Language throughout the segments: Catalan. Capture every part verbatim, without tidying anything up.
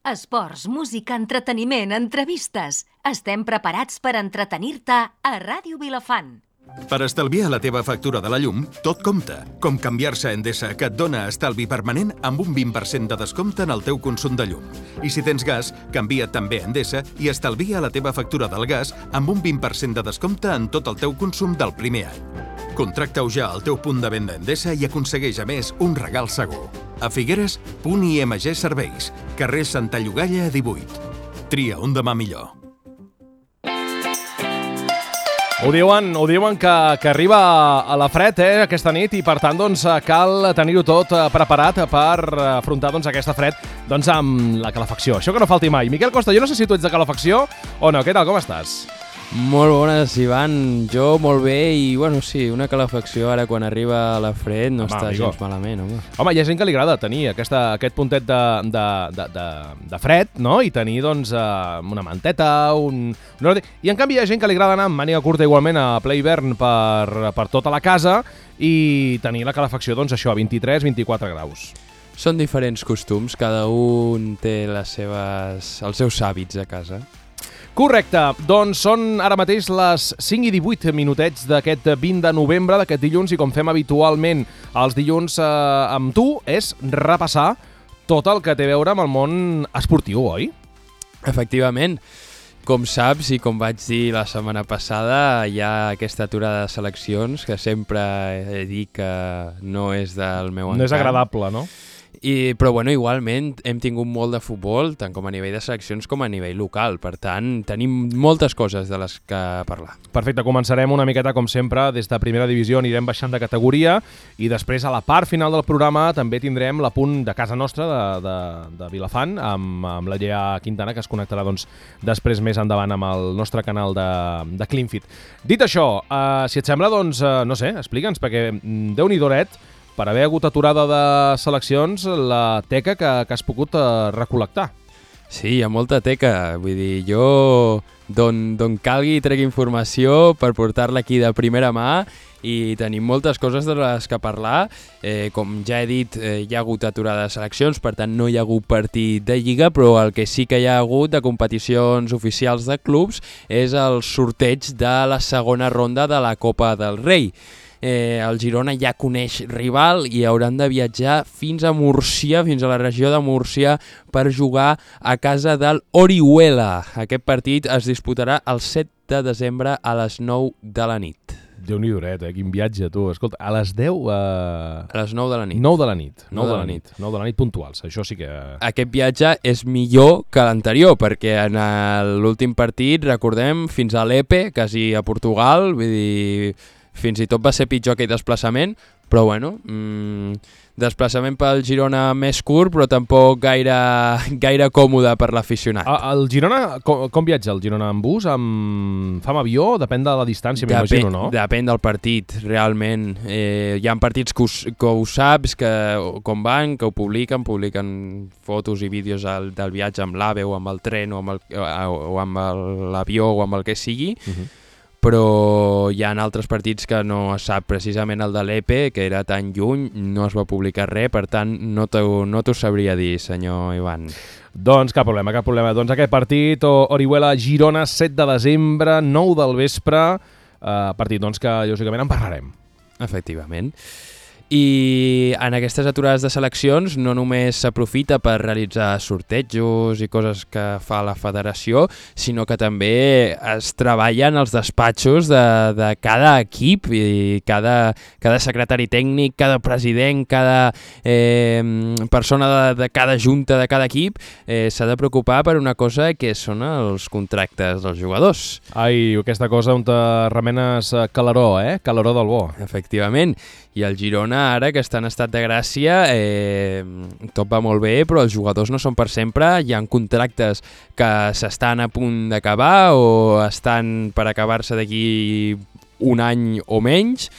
Esports, música, entreteniment, entrevistes. Estem preparats per entretenir-te a Ràdio Vilafant. Per estalviar la teva factura de la llum, tot compta. Com canviar-se a Endesa, que et dona estalvi permanent amb un vint per cent de descompte en el teu consum de llum. I si tens gas, canvia't també a Endesa i estalvia la teva factura del gas amb un vint per cent de descompte en tot el teu consum del primer any. Contracta-ho ja al teu punt de venda Endesa i aconsegueix, a més, un regal segur. A Figueres, Punt I M G Serveis, carrer Santa Llogaia divuit. Tria un demà millor. Ho diuen, ho diuen que, que arriba a la fred eh, aquesta nit i per tant doncs, cal tenir-ho tot preparat per afrontar doncs, aquesta fred doncs, amb la calefacció. Això que no falti mai. Miquel Costa, jo no sé si tu ets de calefacció o no. Què tal, com estàs? Molt bones, Ivan. Jo molt bé i, bueno, sí, una calefacció ara quan arriba la fred no home, està amigo. gens malament, home. Home, hi ha gent que li agrada tenir aquesta, aquest puntet de, de, de, de, de fred, no? I tenir, doncs, una manteta, un... I, en canvi, hi ha gent que li agrada anar amb màniga curta igualment a ple hivern per, per tota la casa i tenir la calefacció, doncs, això, a vint-i-tres a vint-i-quatre graus. Són diferents costums, cada un té les seves, els seus hàbits a casa. Correcte, doncs són ara mateix les cinc i divuit minutets d'aquest vint de novembre, d'aquest dilluns, i com fem habitualment els dilluns eh, amb tu, és repassar tot el que té a veure amb el món esportiu, oi? Efectivament. Com saps i com vaig dir la setmana passada, hi ha aquesta aturada de seleccions que sempre he dit que no és del meu encant. No és agradable, no? I, però bueno, igualment hem tingut molt de futbol, tant com a nivell de seleccions com a nivell local. Per tant, tenim moltes coses de les que parlar. Perfecte, començarem una miqueta, com sempre, des de primera divisió, anirem baixant de categoria i després a la part final del programa també tindrem l'apunt de casa nostra, de, de, de Vilafant, amb, amb la Llea Quintana, que es connectarà doncs, després més endavant amb el nostre canal de, de CleanFit. Dit això, eh, si et sembla, doncs, eh, no sé, explica'ns, perquè Déu-n'hi-do, per haver hagut aturada de seleccions, la teca que, que has pogut uh, recol·lectar. Sí, hi ha molta teca. Vull dir, jo d'on, d'on calgui trec informació per portar-la aquí de primera mà i tenim moltes coses de les que parlar. Eh, com ja he dit, eh, hi ha hagut aturada de seleccions, per tant no hi ha hagut partit de Lliga, però el que sí que hi ha hagut de competicions oficials de clubs és el sorteig de la segona ronda de la Copa del Rei. Eh, el Girona ja coneix rival i hauran de viatjar fins a Múrcia, fins a la regió de Múrcia, per jugar a casa del Orihuela. Aquest partit es disputarà el set de desembre a les nou de la nit. Déu-n'hi-do, eh? Quin viatge, tu. Escolta, a les deu... Eh... A les nou de la nit. nou de la nit. nou de la nit. nou de la nit puntuals, això sí que... Aquest viatge és millor que l'anterior, perquè en l'últim partit, recordem, fins a l'Epe, quasi a Portugal, vull dir... Fins i tot va ser pitjor aquell desplaçament, però bueno, mmm, desplaçament pel Girona més curt, però tampoc gaire, gaire còmode per l'aficionat. El Girona, com, com viatja el Girona? En bus? Amb... Fa amb avió? Depèn de la distància, m'imagino, no? Depèn del partit, realment. Eh, hi ha partits que ho, que ho saps, que com van, que ho publiquen, publiquen fotos i vídeos del, del viatge amb l'AVE o amb el tren o amb el, o amb l'avió o amb el que sigui, uh-huh. Però hi ha altres partits que no es sap, precisament el de l'Epe, que era tan lluny, no es va publicar res, per tant no t'ho no t'ho sabria dir, senyor Ivan. Doncs cap problema, cap problema. Doncs aquest partit, Orihuela-Girona, set de desembre, nou del vespre, eh, partit doncs, que lògicament en parlarem. Efectivament. I en aquestes aturades de seleccions no només s'aprofita per realitzar sortejos i coses que fa la federació, sinó que també es treballen els despatxos de, de cada equip i cada, cada secretari tècnic, cada president, cada eh, persona de, de cada junta de cada equip eh, s'ha de preocupar per una cosa que són els contractes dels jugadors. Ai, aquesta cosa on te remenes calaró, eh? Calaró del bo. Efectivament. I el Girona, ara que està en estat de gràcia, eh, tot va molt bé, però els jugadors no són per sempre. Hi ha contractes que s'estan a punt d'acabar o estan per acabar-se d'aquí un any o menys.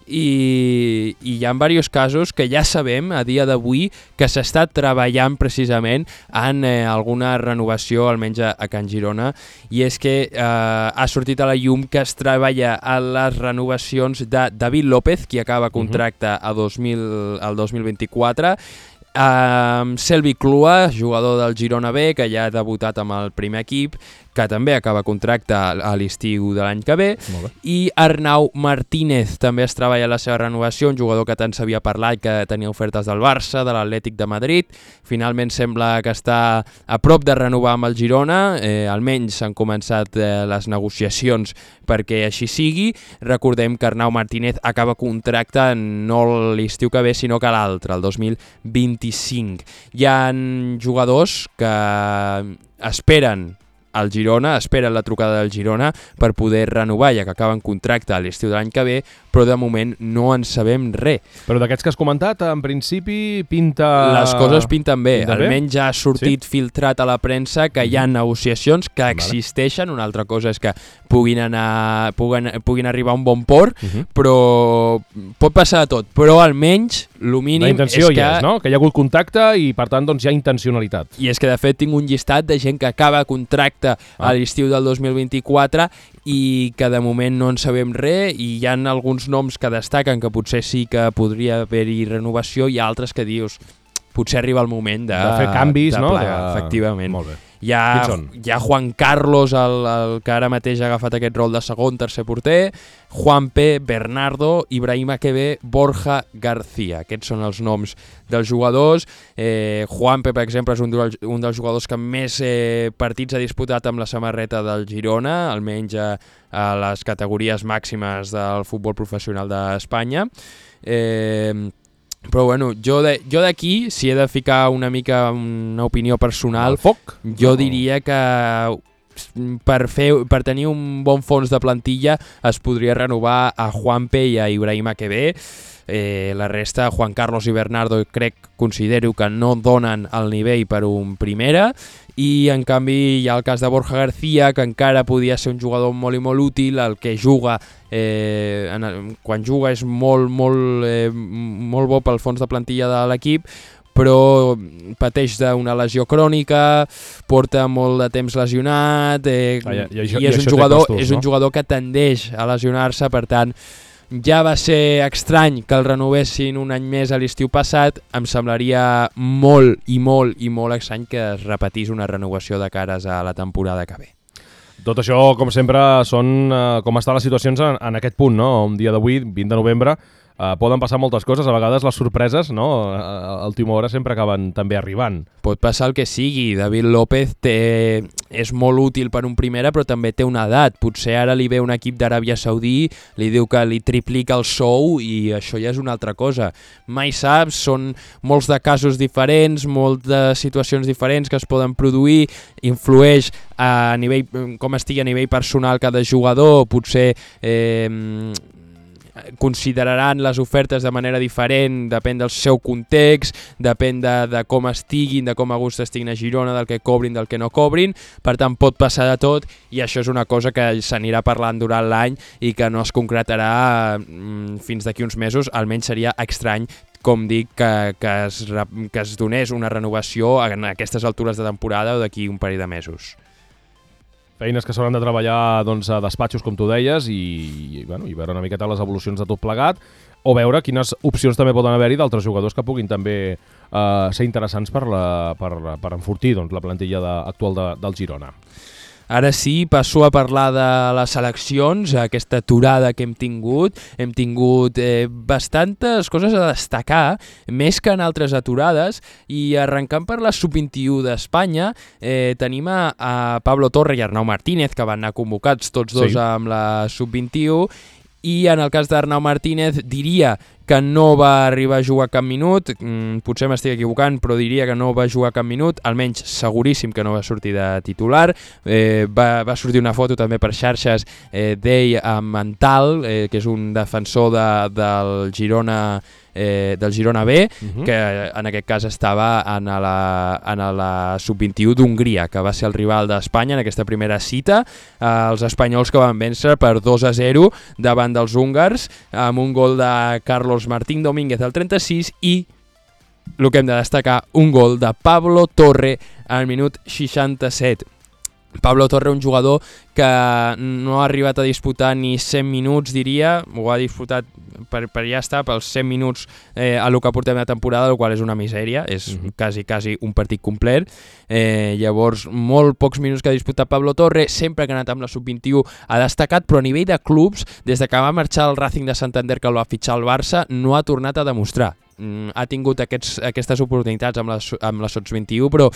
I, i hi ha diversos casos que ja sabem a dia d'avui que s'està treballant precisament en eh, alguna renovació, almenys a, a Can Girona, i és que eh, ha sortit a la llum que es treballa a les renovacions de David López, qui acaba contracte a dos mil, al dos mil vint-i-quatre, Um, Selvi Clua, jugador del Girona B, que ja ha debutat amb el primer equip, que també acaba contracte a l'estiu de l'any que ve, i Arnau Martínez també es treballa la seva renovació, un jugador que tant s'havia parlat, que tenia ofertes del Barça, de l'Atlètic de Madrid. Finalment sembla que està a prop de renovar amb el Girona, eh, almenys s'han començat eh, les negociacions perquè així sigui. Recordem que Arnau Martínez acaba contracte no l'estiu que ve, sinó que l'altre, el dos mil vint-i-cinc. Hi ha jugadors que esperen el Girona, esperen la trucada del Girona per poder renovar, ja que acaben contracte a l'estiu de l'any que ve, però de moment no en sabem res. Però d'aquests que has comentat, en principi pinta... Les coses pinten bé. Pinta Almenys ja ha sortit sí? filtrat a la premsa que hi ha negociacions que existeixen. Una altra cosa és que puguin, anar, puguin, puguin arribar a un bon port, uh -huh. però pot passar de tot. Però almenys, el mínim la intenció és que... hi és, no? Que hi ha hagut contacte i, per tant, doncs, hi ha intencionalitat. I és que, de fet, tinc un llistat de gent que acaba contracte ah. a l'estiu del dos mil vint-i-quatre i que de moment no en sabem res, i hi ha alguns noms que destaquen que potser sí que podria haver-hi renovació, i altres que dius potser arriba el moment de, de fer canvis, de no? plegar, de... efectivament. Molt bé. Hi ha, hi ha Juan Carlos, el, el que ara mateix ha agafat aquest rol de segon, tercer porter, Juanpe, Bernardo, Ibrahim Akebe, Borja García. Aquests són els noms dels jugadors. Eh, Juanpe, per exemple, és un, un dels jugadors que més eh, partits ha disputat amb la samarreta del Girona, almenys a, a les categories màximes del futbol professional d'Espanya. Eh, Però bueno, jo d'aquí, si he de ficar una mica una opinió personal, foc? jo diria que per, fer, per tenir un bon fons de plantilla es podria renovar a Juanpe i a Ibrahim Akebe. Eh, la resta, Juan Carlos i Bernardo, crec, considero que no donen el nivell per un primera, i en canvi hi ha el cas de Borja García, que encara podia ser un jugador molt i molt útil. El que juga, eh, en, quan juga és molt, molt, eh, molt bo pel fons de plantilla de l'equip, però pateix d'una lesió crònica, porta molt de temps lesionat, eh, ah, ja, ja, i, i és, un jugador, costos, és no? un jugador que tendeix a lesionar-se. Per tant, ja va ser estrany que el renovessin un any més a l'estiu passat. Em semblaria molt i molt i molt estrany que es repetís una renovació de cares a la temporada que ve. Tot això, com sempre, són uh, com estan les situacions en, en aquest punt, no? Un dia d'avui, vint de novembre, Uh, poden passar moltes coses, a vegades les sorpreses, no? A última hora sempre acaben també arribant. Pot passar el que sigui. David López té... és molt útil per un primera, però també té una edat. Potser ara li ve un equip d'Aràbia Saudí, li diu que li triplica el sou, i això ja és una altra cosa. Mai saps, són molts de casos diferents, moltes situacions diferents que es poden produir, influeix a nivell, com estigui a nivell personal cada jugador, potser... Eh, consideraran les ofertes de manera diferent, depèn del seu context, depèn de, de com estiguin, de com a gust estiguin a Girona, del que cobrin, del que no cobrin. Per tant, pot passar de tot, i això és una cosa que s'anirà parlant durant l'any i que no es concretarà mm, fins d'aquí uns mesos. Almenys seria estrany, com dic, que, que, es, que es donés una renovació en aquestes altures de temporada o d'aquí un parell de mesos. Feines que s'hauran de treballar doncs, a despatxos, com tu deies, i, i, bueno, i veure una miqueta les evolucions de tot plegat, o veure quines opcions també poden haver-hi d'altres jugadors que puguin també eh, ser interessants per, la, per, per enfortir doncs, la plantilla de, actual de, del Girona. Ara sí, passo a parlar de les seleccions, aquesta aturada que hem tingut. Hem tingut eh, bastantes coses a destacar, més que en altres aturades, i arrencant per la sub vint-i-u d'Espanya, eh, tenim a, a Pablo Torre i Arnau Martínez, que van anar convocats tots dos sí. amb la sub vint-i-u, i en el cas d'Arnau Martínez diria que no va arribar a jugar cap minut, mm, potser m'estic equivocant, però diria que no va jugar cap minut, almenys seguríssim que no va sortir de titular. Eh, va, va sortir una foto també per xarxes eh, d'ell amb Mental, eh, que és un defensor de, del Girona eh, del Girona B, uh-huh. que en aquest cas estava en la, en la sub vint-i-u d'Hongria, que va ser el rival d'Espanya en aquesta primera cita. Eh, els espanyols que van vèncer per dos a zero davant dels húngars, amb un gol de Carlos Martín Domínguez al trenta-sis i, el que hem de destacar, un gol de Pablo Torre al minut seixanta-set. Pablo Torre, un jugador que no ha arribat a disputar ni cent minuts, diria, ho ha disputat per, per ja estar pels cent minuts eh, a lo que portem de temporada, el qual és una misèria, és mm-hmm. quasi, quasi un partit complet. Eh, llavors, molt pocs minuts que ha disputat Pablo Torre, sempre que ha anat amb la sub vint-i-u ha destacat, però a nivell de clubs, des de que va marxar el Racing de Santander, que el va fitxar el Barça, no ha tornat a demostrar. Mm, ha tingut aquests, aquestes oportunitats amb la, amb la sub vint-i-u, però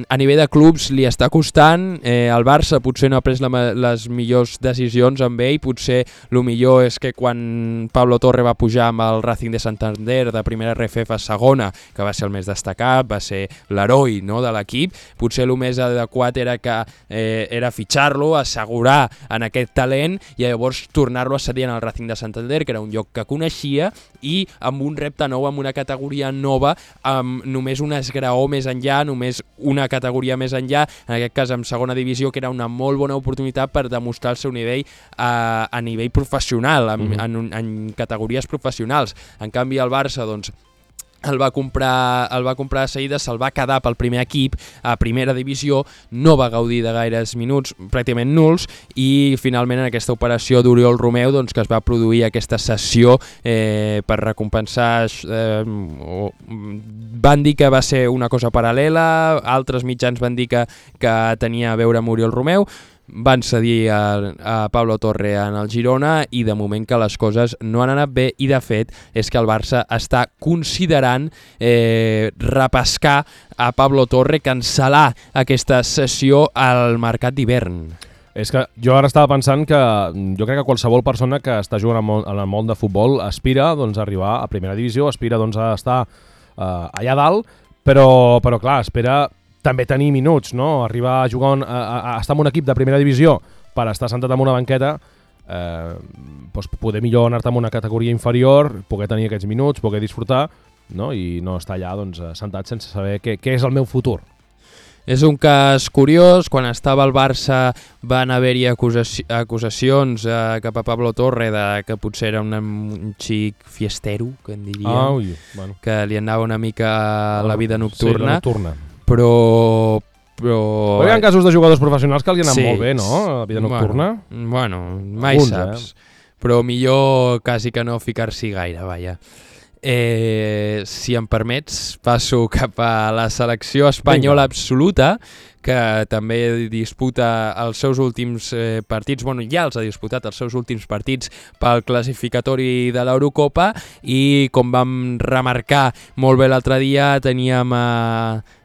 a nivell de clubs li està costant. eh, el Barça potser no ha pres la, les millors decisions amb ell, potser el millor és que quan Pablo Torre va pujar amb el Racing de Santander de primera R F F a segona, que va ser el més destacat, va ser l'heroi, no, de l'equip, potser el més adequat era que eh, era fitxar-lo, assegurar en aquest talent i llavors tornar-lo a cedir en el Racing de Santander, que era un lloc que coneixia, i amb un repte nou, amb una categoria nova, amb només un esgraó més enllà, només una categoria més enllà, en aquest cas en segona divisió, que era una molt bona oportunitat per demostrar el seu nivell a, a nivell professional, en, mm-hmm. en, en categories professionals. En canvi el Barça, doncs, el va comprar, el va comprar de seguida, se'l va quedar pel primer equip a primera divisió, no va gaudir de gaires minuts, pràcticament nuls, i finalment en aquesta operació d'Oriol Romeu, doncs, que es va produir aquesta sessió eh, per recompensar, eh, o, van dir que va ser una cosa paral·lela, altres mitjans van dir que, que tenia a veure amb Oriol Romeu, van cedir a, a Pablo Torre en el Girona i de moment que les coses no han anat bé, i de fet és que el Barça està considerant eh, repescar a Pablo Torre, cancel·lar aquesta sessió al mercat d'hivern. És que jo ara estava pensant que jo crec que qualsevol persona que està jugant en el món de futbol aspira, doncs, a arribar a primera divisió, aspira, doncs, a estar eh, allà dalt, però, però clar, espera també tenir minuts, no? Arribar a jugar, a, a, a estar en un equip de primera divisió per estar sentat en una banqueta, eh, doncs poder millor anar-te en una categoria inferior, poder tenir aquests minuts, poder disfrutar, no? I no estar allà, doncs, sentat sense saber què, què és el meu futur. És un cas curiós. Quan estava al Barça van haver-hi acusaci acusacions eh, cap a Pablo Torre de que potser era un, un xic fiestero, que en diríem, ah, ui, bueno. que li anava una mica a la vida nocturna. Sí, la nocturna. Però... Però... però hi ha casos de jugadors professionals que li han anat sí, molt bé, no? La vida nocturna. Bueno, bueno mai Alguns, saps. Eh? Però millor quasi que no ficar-s'hi gaire, vaja. Eh, si em permets, passo cap a la selecció espanyola Vinga. absoluta, que també disputa els seus últims eh, partits, bueno, ja els ha disputat els seus últims partits pel classificatori de l'Eurocopa, i com vam remarcar molt bé l'altre dia, teníem a...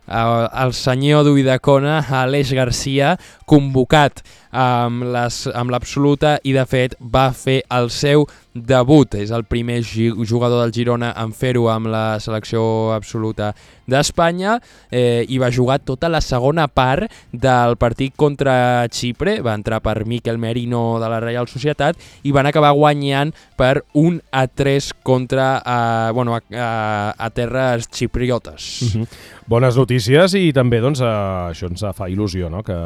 el senyor d'Uidacona, Aleix Garcia, convocat amb l'absoluta, i de fet va fer el seu debut. És el primer jugador del Girona en fer-ho amb la selecció absoluta d'Espanya, eh, i va jugar tota la segona part del partit contra Xipre. Va entrar per Mikel Merino de la Reial Societat i van acabar guanyant per un a tres contra eh, bueno, a, a, a terres xipriotes. Uh-huh. Bones notícies, i també doncs, eh, això ens fa il·lusió, no? que,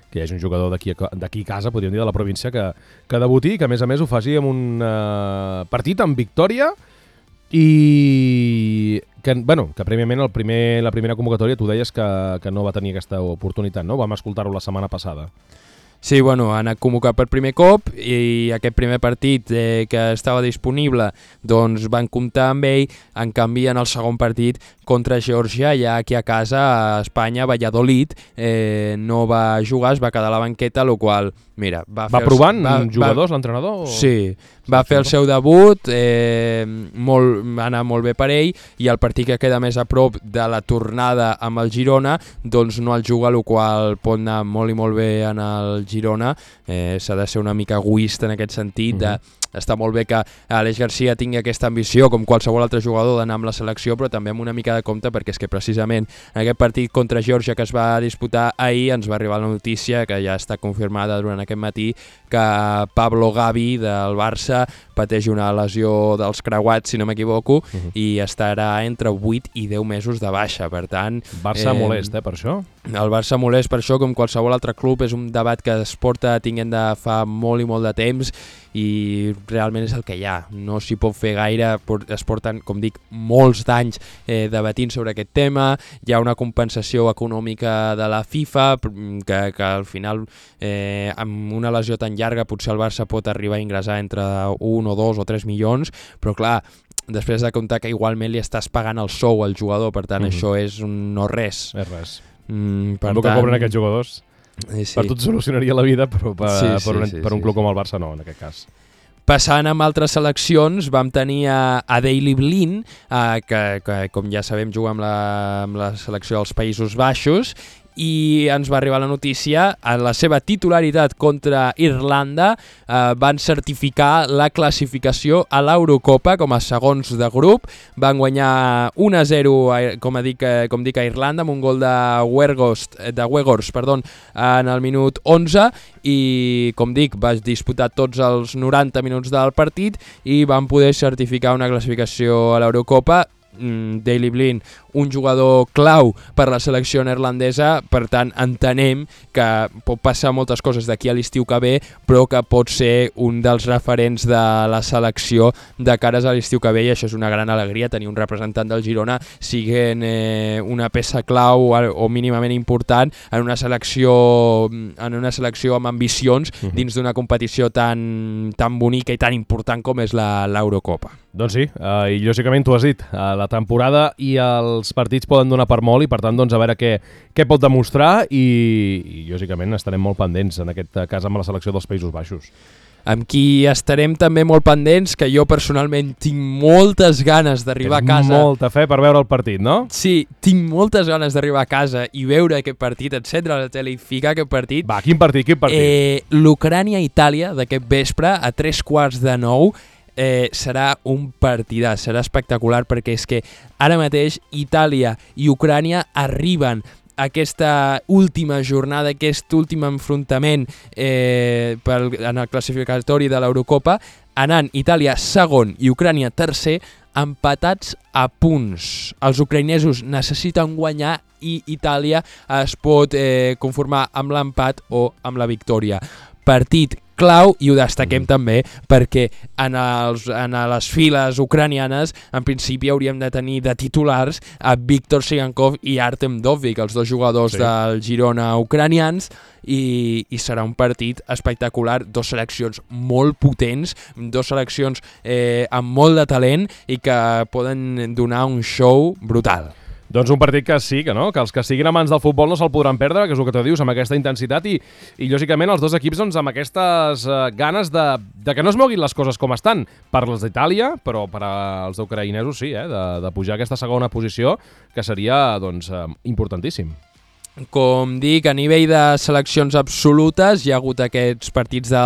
que hi hagi un jugador d'aquí a casa, podríem dir, de la província, que, que debuti, que a més a més ho faci amb un eh, partit amb victòria, i que, bueno, que prèviament el primer, la primera convocatòria tu deies que, que no va tenir aquesta oportunitat, no? Vam escoltar-ho la setmana passada. Sí, bueno, ha anat convocat per primer cop, i aquest primer partit eh, que estava disponible, doncs van comptar amb ell. En canvi, en el segon partit contra Geòrgia, ja aquí a casa, a Espanya, Valladolid, eh, no va jugar, es va quedar a la banqueta, el qual, mira, va, va fer provant va, jugadors, va, l'entrenador? O... Sí, va fer el seu debut, eh, molt, va anar molt bé per ell, i el partit que queda més a prop de la tornada amb el Girona, doncs no el juga, el qual pot anar molt i molt bé en el Girona. Eh, s'ha de ser una mica egoista en aquest sentit, de uh-huh. Està molt bé que Aleix Garcia tingui aquesta ambició, com qualsevol altre jugador, d'anar amb la selecció, però també amb una mica de compte, perquè és que precisament en aquest partit contra Geòrgia que es va disputar ahir ens va arribar la notícia, que ja està confirmada durant aquest matí, que Pablo Gavi del Barça pateix una lesió dels creuats, si no m'equivoco, uh-huh. i estarà entre vuit i deu mesos de baixa. Per tant... Barça eh, molest, eh, per això? El Barça molest per això, com qualsevol altre club. És un debat que es porta tinguent de fa molt i molt de temps, i realment és el que hi ha, no s'hi pot fer gaire, es porten, com dic, molts d'anys eh, debatint sobre aquest tema, hi ha una compensació econòmica de la FIFA, que, que al final eh, amb una lesió tan llarga potser el Barça pot arribar a ingressar entre un o dos o tres milions, però clar, després de comptar que igualment li estàs pagant el sou al jugador, per tant mm-hmm. això és un no res. És res. Mm, per el tant... que cobren aquests jugadors... Eh, sí. Per tot solucionaria la vida, però per, sí, sí, per, un, sí, per un sí, club sí. com el Barça no, en aquest cas. Passant amb altres seleccions, vam tenir a, a Daley Blind, eh, que, que com ja sabem juga amb la, amb la selecció dels Països Baixos, i ens va arribar la notícia, en la seva titularitat contra Irlanda eh, van certificar la classificació a l'Eurocopa com a segons de grup, van guanyar un a zero com, dic, com dic a Irlanda amb un gol de Weghorst, de Weghorst perdó, en el minut onze i com dic va disputar tots els noranta minuts del partit i van poder certificar una classificació a l'Eurocopa. Daley Blind, un jugador clau per la selecció neerlandesa, per tant entenem que pot passar moltes coses d'aquí a l'estiu que ve, però que pot ser un dels referents de la selecció de cares a l'estiu que ve, i això és una gran alegria, tenir un representant del Girona siguent eh, una peça clau o, o mínimament important en una selecció en una selecció amb ambicions uh-huh. dins d'una competició tan, tan bonica i tan important com és l'Eurocopa. Doncs sí, uh, i lògicament tu has dit, uh, la temporada i els partits poden donar per molt i per tant doncs, a veure què, què pot demostrar i, i lògicament estarem molt pendents en aquest cas amb la selecció dels Països Baixos. Amb qui estarem també molt pendents, que jo personalment tinc moltes ganes d'arribar a casa. Molta fe per veure el partit, no? Sí, tinc moltes ganes d'arribar a casa i veure aquest partit, encendre la tele i ficar aquest partit. Va, quin partit, quin partit? Eh, L'Ucrània-Itàlia d'aquest vespre a tres quarts de nou. Eh, serà un partidàs, serà espectacular perquè és que ara mateix Itàlia i Ucrània arriben a aquesta última jornada, aquest últim enfrontament eh, per, en el classificatori de l'Eurocopa, anant Itàlia segon i Ucrània tercer, empatats a punts. Els ucraïnesos necessiten guanyar i Itàlia es pot eh, conformar amb l'empat o amb la victòria. Partit clau, i ho destaquem mm. també perquè en, els, en les files ucranianes en principi hauríem de tenir de titulars a Viktor Sigankov i Artem Dovbyk, els dos jugadors sí. del Girona ucranians, i, i serà un partit espectacular, dos seleccions molt potents, dos seleccions eh, amb molt de talent i que poden donar un show brutal. Doncs un partit que sí, que no, que els que siguin amants del futbol no se'l podran perdre, que és el que tu dius, amb aquesta intensitat i, i lògicament els dos equips doncs, amb aquestes uh, ganes de, de que no es moguin les coses com estan, per les d'Itàlia, però per als ucraïnesos sí, eh, de, de pujar a aquesta segona posició, que seria doncs, uh, importantíssim. Com dic, a nivell de seleccions absolutes hi ha hagut aquests partits de,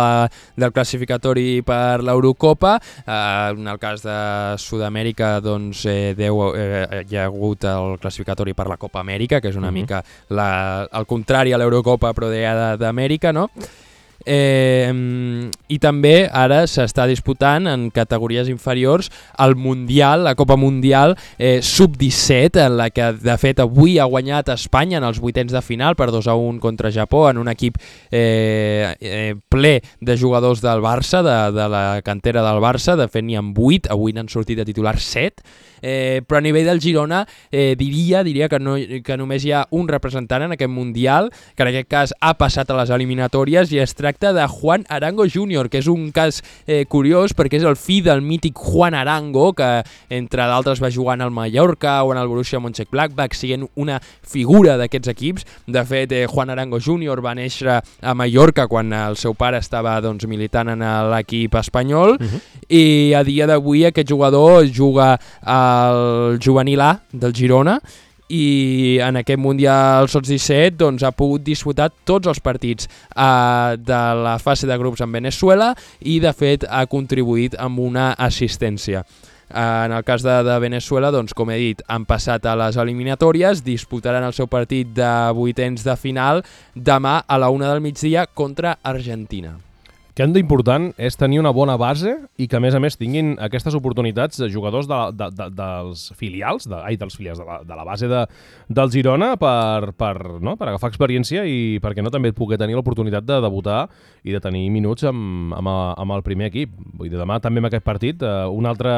del classificatori per l'Eurocopa. Eh, en el cas de Sud-amèrica doncs, eh, deu, eh, hi ha hagut el classificatori per la Copa Amèrica, que és una uh-huh. mica la, el contrari a l'Eurocopa però d'Amèrica, no? Eh, i també ara s'està disputant en categories inferiors el Mundial, la Copa Mundial eh, sub disset, en la que de fet avui ha guanyat Espanya en els vuitens de final per dos a un contra Japó, en un equip eh, eh, ple de jugadors del Barça, de, de la cantera del Barça. De fet n'hi ha vuit, avui n'han sortit de titular set. Eh, però a nivell del Girona eh, diria, diria que, no, que només hi ha un representant en aquest Mundial, que en aquest cas ha passat a les eliminatòries, i es tracta de Juan Arango júnior, que és un cas eh, curiós perquè és el fill del mític Juan Arango, que entre d'altres va jugar en el Mallorca o en el Borussia Mönchengladbach, siguent una figura d'aquests equips. De fet, eh, Juan Arango júnior va néixer a Mallorca quan el seu pare estava doncs, militant en l'equip espanyol, uh-huh. i a dia d'avui aquest jugador juga a el juvenil A del Girona i en aquest Mundial sub disset doncs, ha pogut disputar tots els partits eh, de la fase de grups amb Venezuela i de fet ha contribuït amb una assistència. En el cas de, de Venezuela, doncs, com he dit, han passat a les eliminatòries, disputaran el seu partit de vuitens de final demà a la una del migdia contra Argentina. que hem d'important és tenir una bona base i que, a més a més, tinguin aquestes oportunitats de jugadors de, de, de, dels filials, de, ai, dels filials, de la, de la base de, del Girona per, per, no? per agafar experiència i perquè no també poder tenir l'oportunitat de debutar i de tenir minuts amb, amb, amb el primer equip. Vull dir, demà també en aquest partit, eh, un altre...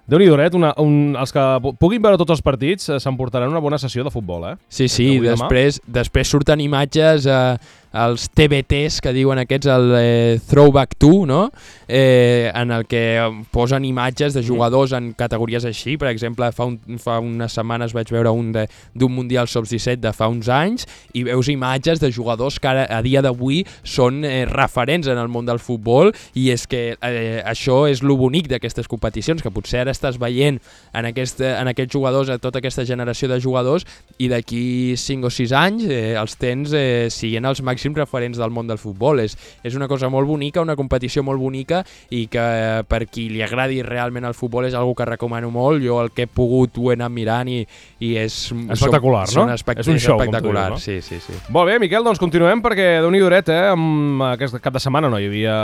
Déu-n'hi-do, una, un, els que puguin veure tots els partits eh, s'emportaran una bona sessió de futbol, eh? Sí, sí, després, després surten imatges eh, als T V Ts, que diuen aquests, el eh, Throwback two, no? Eh, en el que posen imatges de jugadors en categories així. Per exemple, fa, un, fa unes setmanes vaig veure un d'un Mundial sub disset de fa uns anys i veus imatges de jugadors que ara, a dia d'avui són eh, referents en el món del futbol, i és que eh, això és lo bonic d'aquestes competicions, que potser ara estàs veient en, aquest, en aquests jugadors, a tota aquesta generació de jugadors, i d'aquí cinc o sis anys eh, els tens eh, siguent els màxims referents del món del futbol. És, és una cosa molt bonica, una competició molt bonica, i que eh, per qui li agradi realment el futbol és algo que recomano molt. Jo el que he pogut ho he anat mirant i, i és... Espectacular, són, no? Són espect és un show, espectacular, com tu dius, no? Sí, sí, sí. Molt bé, Miquel, doncs continuem perquè Déu-n'hi-do, eh? Amb aquest cap de setmana no hi havia,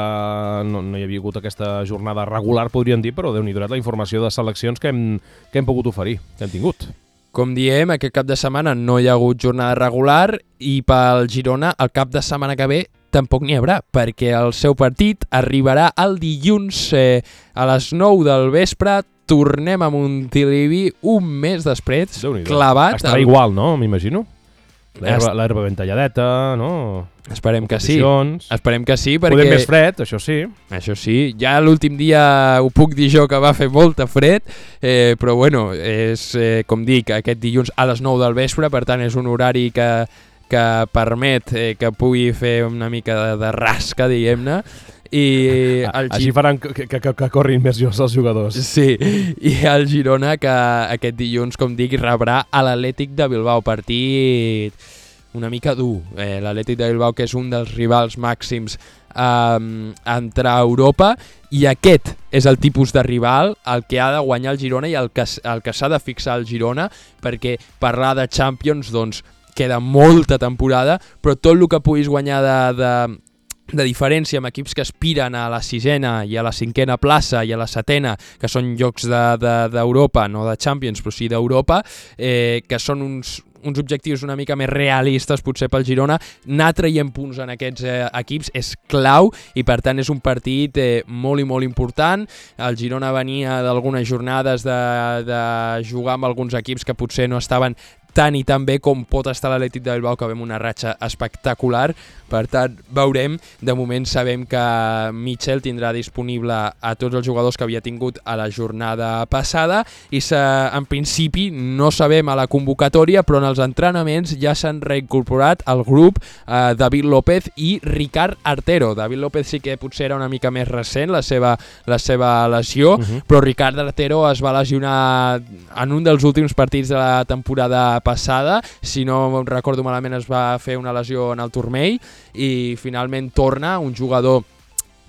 no, no hi havia hagut aquesta jornada regular, podríem dir, però Déu-n'hi-do la informació de seleccions que hem, que hem pogut oferir, que hem tingut. Com diem, aquest cap de setmana no hi ha hagut jornada regular, i pel Girona el cap de setmana que ve tampoc n'hi haurà, perquè el seu partit arribarà el dilluns eh, a les nou del vespre. Tornem a Montilivi un mes després, clavat. Estarà el... igual, no? M'imagino. L'herba ben talladeta, no? Esperem que sí. Esperem que sí, perquè... Podem més fred, això sí. Això sí. Ja l'últim dia ho puc dir jo que va fer molta fred, eh, però bueno, és, eh, com dic, aquest dilluns a les nou del vespre, per tant és un horari que, que permet eh, que pugui fer una mica de, de rasca, diguem-ne. I el Així faran que, que, que, que corrin més jocs els jugadors. Sí, i el Girona, que aquest dilluns, com dic, rebrà a l'Atlètic de Bilbao. Partit una mica dur. Eh, L'Atlètic de Bilbao, que és un dels rivals màxims eh, entre Europa, i aquest és el tipus de rival el que ha de guanyar el Girona i el que, el que s'ha de fixar el Girona, perquè parlar de Champions, doncs, queda molta temporada, però tot el que puguis guanyar de... de de diferència amb equips que aspiren a la sisena i a la cinquena plaça i a la setena, que són llocs d'Europa, de, de, no de Champions, però sí d'Europa, eh, que són uns, uns objectius una mica més realistes potser pel Girona. Anar traient punts en aquests eh, equips és clau, i per tant és un partit eh, molt i molt important. El Girona venia d'algunes jornades de, de jugar amb alguns equips que potser no estaven tant i tan bé com pot estar l'Atlètic de Bilbao, que ve amb una ratxa espectacular. Per tant, veurem. De moment sabem que Michel tindrà disponible a tots els jugadors que havia tingut a la jornada passada, i en principi no sabem a la convocatòria, però en els entrenaments ja s'han reincorporat al grup eh, David López i Ricard Artero. David López sí que potser era una mica més recent la seva, la seva lesió, uh-huh. però Ricard Artero es va lesionar en un dels últims partits de la temporada passada. Si no recordo malament, es va fer una lesió en el turmell, i finalment torna un jugador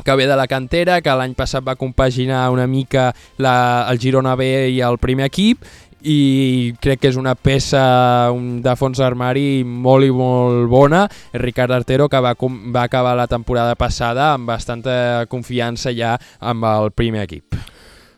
que ve de la cantera, que l'any passat va compaginar una mica la, el Girona B i el primer equip, i crec que és una peça de fons d'armari molt i molt bona. Ricard Artero, que va, va acabar la temporada passada amb bastanta confiança ja amb el primer equip.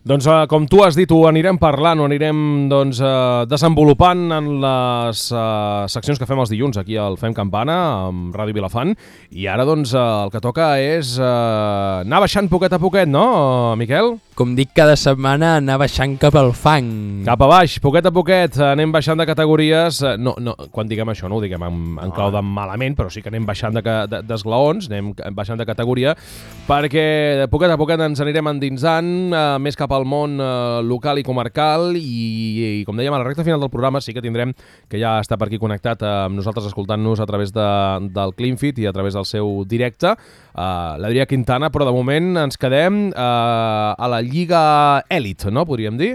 Doncs uh, com tu has dit, ho anirem parlant, ho anirem doncs, uh, desenvolupant en les uh, seccions que fem els dilluns aquí al Fem Campana, amb Ràdio Vilafant, i ara doncs uh, el que toca és uh, anar baixant poquet a poquet, no, Miquel? Com dic cada setmana, anar baixant cap al fang. Cap a baix, poquet a poquet, anem baixant de categories. No, no, quan diguem això no ho diguem en, en clau de malament, però sí que anem baixant d'esglaons, de, de, anem baixant de categoria, perquè poquet a poquet ens anirem endinsant uh, més cap al món uh, local i comarcal, i, i com dèiem, a la recta final del programa sí que tindrem, que ja està per aquí connectat uh, amb nosaltres escoltant-nos a través de, del CleanFit i a través del seu directe, uh, l'Adrià Quintana, però de moment ens quedem uh, a la Lliga Elit, no? Podríem dir?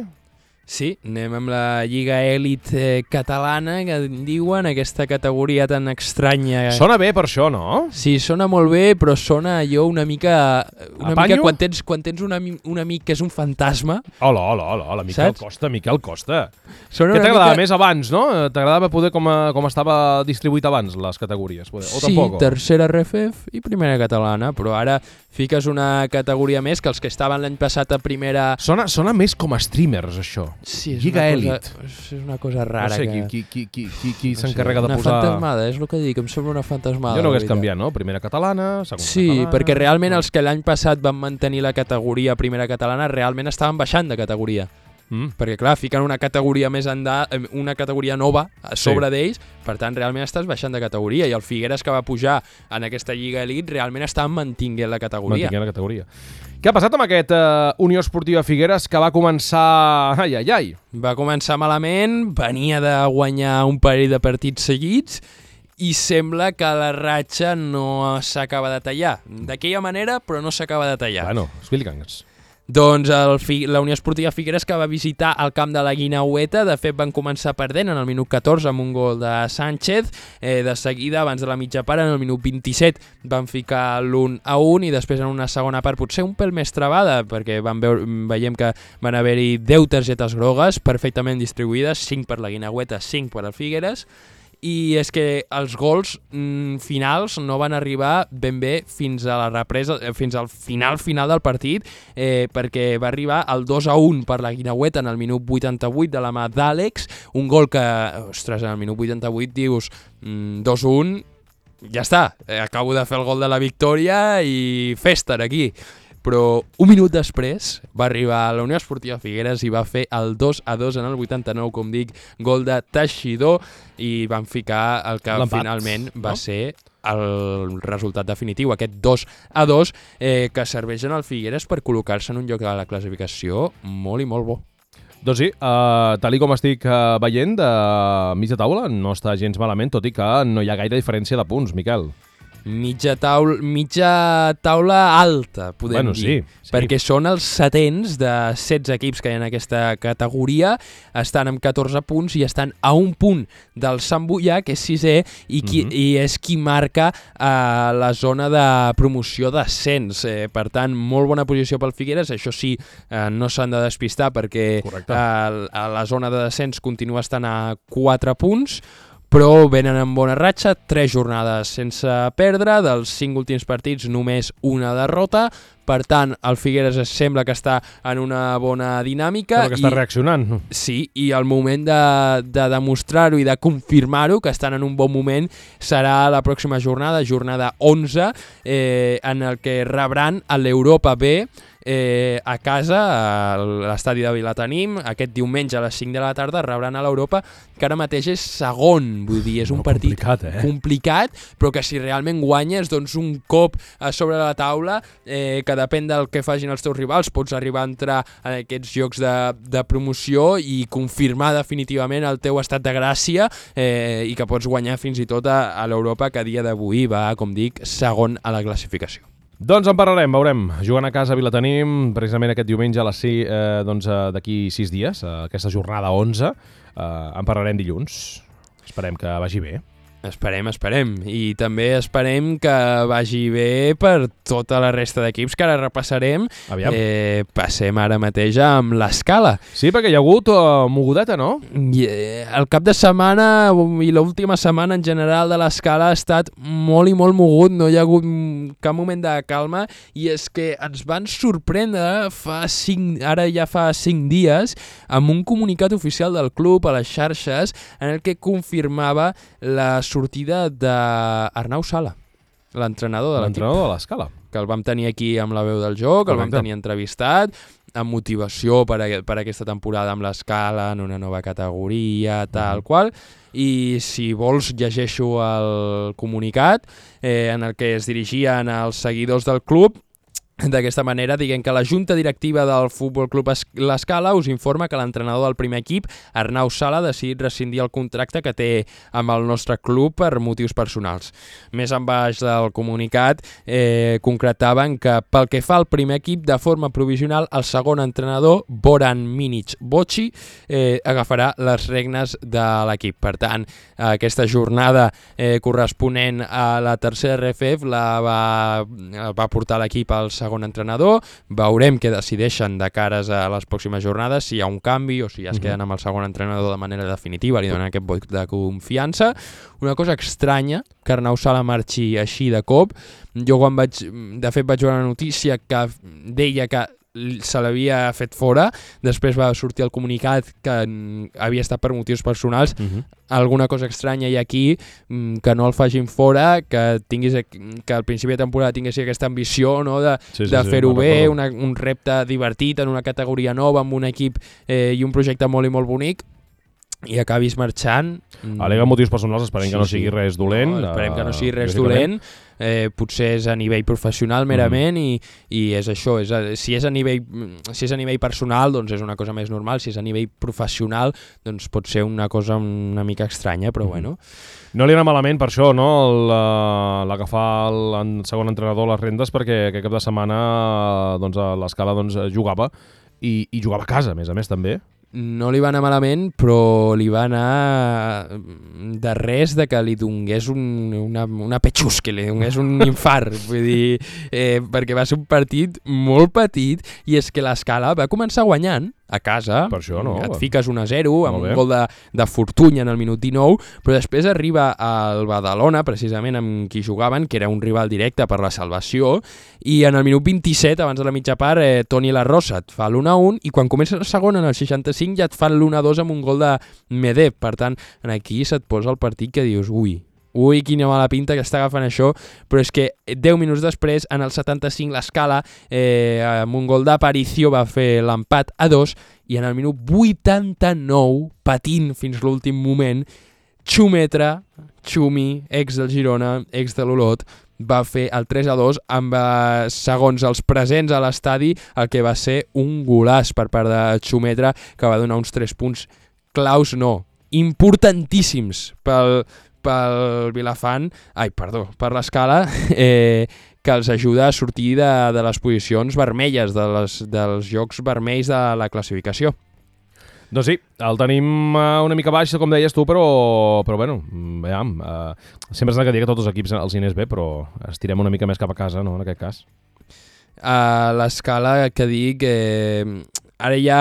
Sí, anem amb la Lliga Elit eh, catalana, que en diuen, aquesta categoria tan estranya. Sona bé per això, no? Sí, sona molt bé, però sona allò una mica... Una Apanyo? mica quan tens, quan tens un, ami, un amic que és un fantasma. Hola, hola, hola, hola, Miquel Saps? Costa, Miquel Costa. Sona Què una t'agradava mica... més abans, no? T'agradava poder com, a, com estava distribuït abans les categories? Poder, o Sí, tampoc? tercera R F F i primera catalana, però ara fiques una categoria més que els que estaven l'any passat a primera... Sona, sona més com a streamers, això. Sí, és Lliga una Elit. cosa, és una cosa rara. No sé, que... qui, qui, qui, qui, qui no s'encarrega sé, de posar... Una fantasmada, és el que dic, em sembla una fantasmada. Jo no la hagués veritat. canviat, no? Primera catalana, segona Sí, catalana... perquè realment els que l'any passat van mantenir la categoria primera catalana realment estaven baixant de categoria. Mm. Perquè clar, fiquen una categoria més endà, eh, una categoria nova a sobre Sí. d'ells, per tant realment estàs baixant de categoria, i el Figueres que va pujar en aquesta Lliga Elit realment està mantinguent la categoria. Mantinguent la categoria. Què ha passat amb aquest uh, Unió Esportiva Figueres que va començar... Ai, ai, ai. Va començar malament, venia de guanyar un parell de partits seguits i sembla que la ratxa no s'acaba de tallar. D'aquella manera, però no s'acaba de tallar. Bueno, explica'ns. Doncs el Fi la Unió Esportiva Figueres, que va visitar el camp de la Guinaueta, de fet van començar perdent en el minut catorze amb un gol de Sánchez, eh, de seguida abans de la mitja part en el minut vint-i-set van ficar l'un a un i després en una segona part potser un pèl més trebada perquè van veure, veiem que van haver-hi deu targetes grogues perfectament distribuïdes, cinc per la Guinaueta, cinc per al Figueres, i és que els gols mm, finals no van arribar ben bé fins a la represa, eh, fins al final final del partit, eh, perquè va arribar el dos a un per la Guinaueta en el minut vuitanta-vuit de la mà d'Àlex, un gol que, ostres, en el minut vuitanta-vuit dius mm, dos a un, ja està, eh, acabo de fer el gol de la victòria i festa aquí. Però un minut després va arribar a la Unió Esportiva Figueres i va fer el dos a dos en el vuitanta-nou, com dic, gol de Teixidor, i van ficar el que l'empat, finalment va no? ser el resultat definitiu, aquest dos a dos, eh, que serveix en el Figueres per col·locar-se en un lloc de la classificació molt i molt bo. Doncs sí, uh, tal i com estic uh, veient de mitja taula, no està gens malament, tot i que no hi ha gaire diferència de punts, Miquel. Mitja taula, mitja taula alta, podem Bueno, dir, sí, sí. perquè són els setens de setze equips que hi ha en aquesta categoria, estan amb catorze punts i estan a un punt del Sant Boià, que és sisè, i, qui, Mhm. i és qui marca eh, la zona de promoció d'ascens. Eh, per tant, molt bona posició pel Figueres, això sí, eh, no s'han de despistar perquè Correcte. eh, a la zona de descens continua estant a quatre punts, però venen en bona ratxa, tres jornades sense perdre, dels cinc últims partits només una derrota, per tant el Figueres es sembla que està en una bona dinàmica. Sembla que està i, reaccionant. sí, i el moment de, de demostrar-ho i de confirmar-ho, que estan en un bon moment, serà la pròxima jornada, jornada onze, eh, en el que rebran a l'Europa B, eh, a casa, a l'estadi de Vilatenim, aquest diumenge a les cinc de la tarda rebran a l'Europa, que ara mateix és segon, vull dir, és un No, partit complicat, eh? complicat, però que si realment guanyes, doncs un cop a sobre la taula, eh, que depèn del que facin els teus rivals, pots arribar a entrar en aquests jocs de, de promoció i confirmar definitivament el teu estat de gràcia, eh, i que pots guanyar fins i tot a, a l'Europa, que a dia d'avui va, com dic, segon a la classificació. Doncs en parlarem, veurem. Jugant a casa a Vilatenim, precisament aquest diumenge a les sis, eh, doncs eh, d'aquí sis dies, eh, aquesta jornada onze, eh, en parlarem dilluns. Esperem que vagi bé. Esperem, esperem. I també esperem que vagi bé per tota la resta d'equips que ara repassarem. Aviam. Eh, passem ara mateix amb l'Escala. Sí, perquè hi ha hagut uh, mogudeta, no? I, eh, el cap de setmana i l'última setmana en general de l'Escala ha estat molt i molt mogut, no hi ha hagut cap moment de calma, i és que ens van sorprendre fa cinc, ara ja fa cinc dies amb un comunicat oficial del club a les xarxes en el que confirmava la sortida d'Arnau Sala, l'entrenador de l'equip, L'entrenador de l'Escala. que el vam tenir aquí amb la veu del joc, el vam Correcte. tenir entrevistat, amb motivació per, a, per a aquesta temporada amb l'Escala, en una nova categoria, tal qual, i si vols llegeixo el comunicat eh, en el que es dirigien als seguidors del club, D'aquesta manera, diguem que la Junta Directiva del Futbol Club L'Escala us informa que l'entrenador del primer equip, Arnau Sala, ha decidit rescindir el contracte que té amb el nostre club per motius personals. Més en baix del comunicat, eh, concretaven que pel que fa al primer equip, de forma provisional, el segon entrenador, Boran Minic Boci, eh, agafarà les regnes de l'equip. Per tant, aquesta jornada eh, corresponent a la tercera R F F la va, va portar l'equip al segon segon entrenador, veurem què decideixen de cares a les pròximes jornades, si hi ha un canvi o si ja es queden amb el segon entrenador de manera definitiva, li donen aquest vot de confiança. Una cosa estranya, que Arnau Sala marxi així de cop. Jo quan vaig, de fet vaig veure una notícia que deia que se l'havia fet fora, després va sortir el comunicat que havia estat per motius personals. Uh-huh. Alguna cosa estranya hi ha aquí, que no el facin fora, que tinguis que al principi de temporada tinguessi aquesta ambició, no, de, sí, sí, de fer-ho sí, bé, una, un repte divertit en una categoria nova, amb un equip eh, i un projecte molt i molt bonic, i acabis marxant. Al·lega motius personals, esperem sí, que no sigui sí. res dolent. No, esperem que no sigui res dolent. Eh, potser és a nivell professional merament mm. i, i és això, és a, si, és a nivell, si és a nivell personal doncs és una cosa més normal, si és a nivell professional doncs pot ser una cosa una mica estranya, però mm. bueno. No li anà malament per això, no? L'agafar el, el segon entrenador les rendes, perquè aquest cap de setmana doncs, a l'Escala doncs, jugava i, i jugava a casa, a més a més també. No li va anar malament, però li va anar de res de que li donés un, una, una petxus, que li donés un infart, vull dir, eh, perquè va ser un partit molt petit i és que l'Escala va començar guanyant a casa, per això, no? Et fiques un a zero amb un gol de, de Fortuny en el minut dinou, però després arriba al Badalona, precisament amb qui jugaven, que era un rival directe per la salvació, i en el minut vint-i-set, abans de la mitja part, eh, Toni La Rosa et fa l'u a un, i quan comença el segon, en el seixanta-cinc, ja et fan l'u a dos amb un gol de Medeb. Per tant, aquí se't posa el partit que dius, ui, Ui, quina mala pinta que està agafant això, però és que deu minuts després, en el setanta-cinc, l'Escala, eh, amb un gol d'Aparicio, va fer l'empat a dos, i en el minut vuitanta-nou, patint fins l'últim moment, Xumetra, Xumi, ex del Girona, ex de l'Olot, va fer el tres a dos amb, eh, segons els presents a l'estadi, el que va ser un golaç per part de Xumetra, que va donar uns tres punts claus, no, importantíssims pel pel Vilafant, ai, perdó, per l'Escala, eh, que els ajuda a sortir de, de les posicions vermelles, de les, dels jocs vermells de la classificació. Doncs sí, el tenim una mica baix, com deies tu, però, però bueno, veiem, eh, sempre s'ha de dir que tots els equips els hi anés bé, però estirem una mica més cap a casa, no?, en aquest cas. A l'Escala, que dic, eh, ara ja,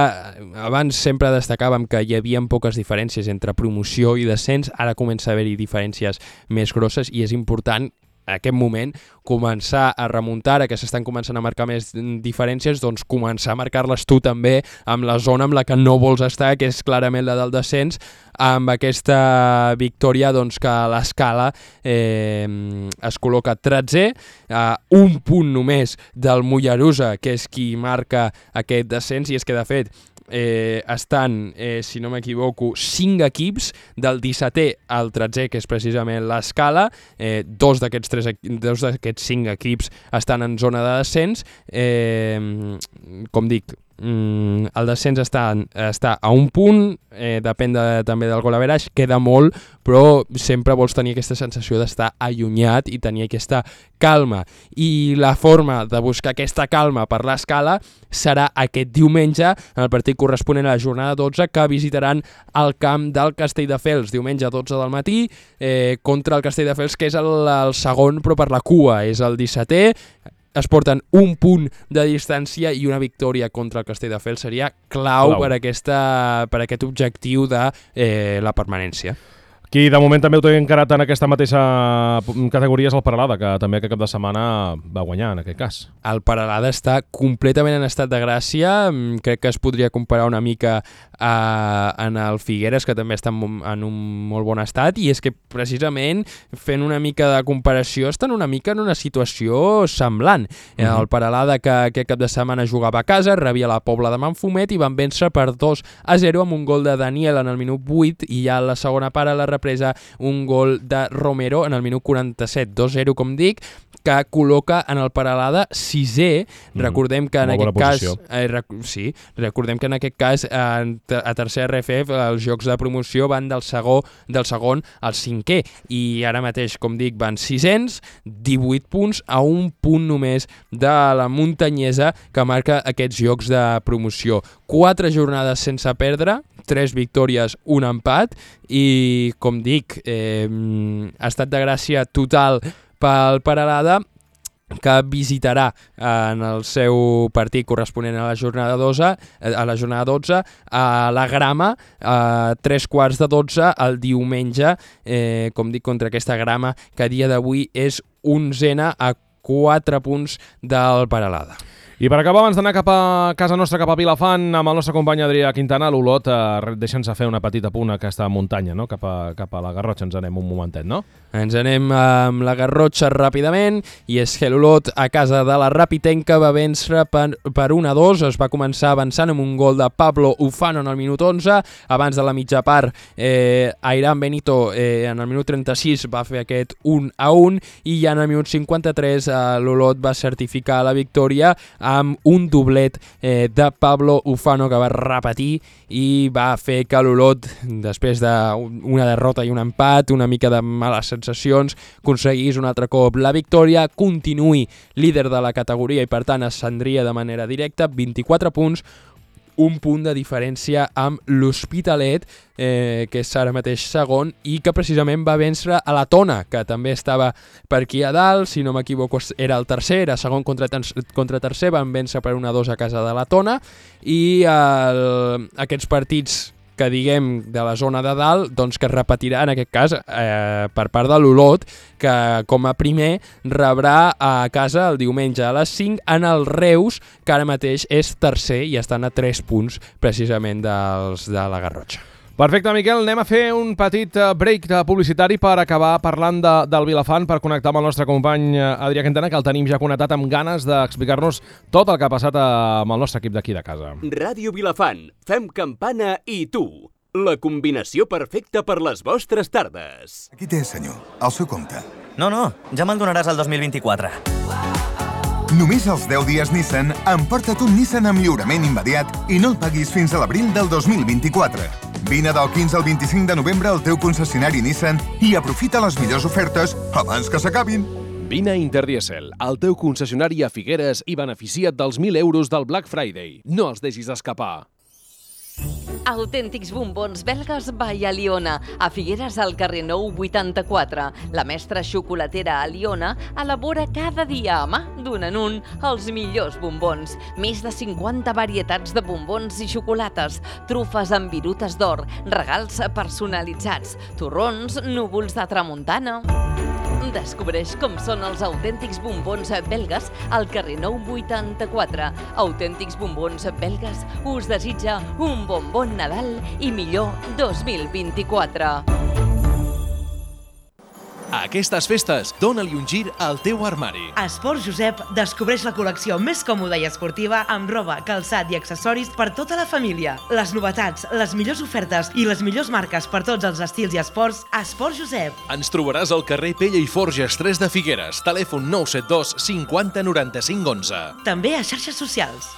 abans sempre destacàvem que hi havia poques diferències entre promoció i descens, ara comença a haver-hi diferències més grosses i és important en aquest moment començar a remuntar, que s'estan començant a marcar més diferències, doncs començar a marcar-les tu també amb la zona amb la que no vols estar, que és clarament la del descens, amb aquesta victòria doncs, que l'Escala eh, es col·loca tretzè, a un punt només del Mollerussa, que és qui marca aquest descens, i és que de fet Eh, estan, eh, si no m'equivoco, cinc equips, del dissetè al tretzè, que és precisament l'Escala, eh, dos d'aquests tres, dos d'aquests cinc equips estan en zona de descens, eh, com dic, Mm, el descens està, està a un punt, eh, depèn de, també del gol average, queda molt, però sempre vols tenir aquesta sensació d'estar allunyat i tenir aquesta calma, i la forma de buscar aquesta calma per l'Escala serà aquest diumenge en el partit corresponent a la jornada dotze, que visitaran el camp del Castelldefels diumenge a dotze del matí, eh, contra el Castelldefels, que és el, el segon però per la cua, és el dissetè. Es porten un punt de distància i una victòria contra el Castelldefels seria clau, clau. Per, aquesta, per aquest objectiu de eh, la permanència. Qui de moment també ho té encarat en aquesta mateixa categoria és el Peralada, que també aquest cap de setmana va guanyar en aquest cas. El Peralada està completament en estat de gràcia, crec que es podria comparar una mica a, en el Figueres, que també està en, en un molt bon estat, i és que precisament fent una mica de comparació estan una mica en una situació semblant. Uh-huh. El Peralada, que aquest cap de setmana jugava a casa, rebia la Pobla de Manfumet i van vèncer per dos a zero amb un gol de Daniel en el minut vuit, i ja a la segona part a la represa un gol de Romero en el minut quaranta-set, dos zero, com dic, que col·loca en el Peralada sisè. Mm, recordem que en aquest cas... Eh, rec sí, recordem que en aquest cas a, a tercer R F F els jocs de promoció van del, segó, del segon al cinquè i ara mateix, com dic, van sis-cents, divuit punts a un punt només de la muntanyesa que marca aquests jocs de promoció. Quatre jornades sense perdre, tres victòries, un empat i, com dic, eh, ha estat de gràcia total pel Peralada, que visitarà en el seu partit corresponent a la jornada dotze, a la jornada dotze a la Grama, a tres quarts de dotze el diumenge, eh, com dic, contra aquesta Grama, que a dia d'avui és onzena a quatre punts del Peralada. I per acabar, abans d'anar cap a casa nostra, cap a Vilafant, amb el nostre company Adrià Quintana, l'Olot, eh, deixa'ns fer una petita punt a aquesta muntanya, no? Cap a, cap a la Garrotxa ens anem un momentet, no? Ens anem amb la Garrotxa ràpidament, i és que l'Olot a casa de la Rapitenca va vèncer per, per un a dos, es va començar avançant amb un gol de Pablo Ufano en el minut onze, abans de la mitja part eh, Airam Benito eh, en el minut trenta-sis va fer aquest un a un, i ja en el minut cinquanta-tres eh, l'Olot va certificar la victòria amb un doblet eh, de Pablo Ufano, que va repetir i va fer que l'Olot, després d'una derrota i un empat, una mica de males sensacions, aconseguís un altre cop la victòria, continuï líder de la categoria i per tant ascendria de manera directa, vint-i-quatre punts, un punt de diferència amb l'Hospitalet, eh, que és ara mateix segon, i que precisament va vèncer a la Tona, que també estava per aquí a dalt, si no m'equivoco era el tercer, era segon contra, contra tercer, van vèncer per un a dos a casa de la Tona, i el, aquests partits que diguem de la zona de dalt, doncs que es repetirà en aquest cas eh, per part de l'Olot, que com a primer rebrà a casa el diumenge a les cinc en el Reus, que ara mateix és tercer i estan a tres punts precisament dels de la Garrotxa. Perfecte, Miquel, anem a fer un petit break publicitari per acabar parlant de, del Vilafant, per connectar amb el nostre company Adrià Quintana, que el tenim ja connectat amb ganes d'explicar-nos tot el que ha passat amb el nostre equip d'aquí de casa. Ràdio Vilafant, fem campana i tu. La combinació perfecta per les vostres tardes. Aquí té, senyor, el seu compte. No, no, ja me'l donaràs el dos mil vint-i-quatre. Només als deu dies Nissan, emporta't un Nissan amb lliurament immediat i no el paguis fins a l'abril del dos mil vint-i-quatre. Vine del quinze al vint-i-cinc de novembre al teu concessionari Nissan i aprofita les millors ofertes abans que s'acabin. Vine a Interdiesel, al teu concessionari a Figueres, i beneficia't dels mil euros del Black Friday. No els deixis escapar. Autèntics bombons belgues by Aliona, a Figueres al carrer Nou vuitanta-quatre. La mestra xocolatera Aliona elabora cada dia a mà, d'un en un, els millors bombons. Més de cinquanta varietats de bombons i xocolates, trufes amb virutes d'or, regals personalitzats, torrons, núvols de tramuntana. Descobreix com són els autèntics bombons belgues al carrer Nou vuitanta-quatre. Autèntics bombons belgues us desitja un bon bon Nadal i millor dos mil vint-i-quatre. A aquestes festes, dóna-li un gir al teu armari. A Esports Josep descobreix la col·lecció més còmoda i esportiva amb roba, calçat i accessoris per tota la família. Les novetats, les millors ofertes i les millors marques per tots els estils i esports a Esports Josep. Ens trobaràs al carrer Pella i Forges tres de Figueres, telèfon nou set dos cinquanta noranta-cinc onze. També a xarxes socials.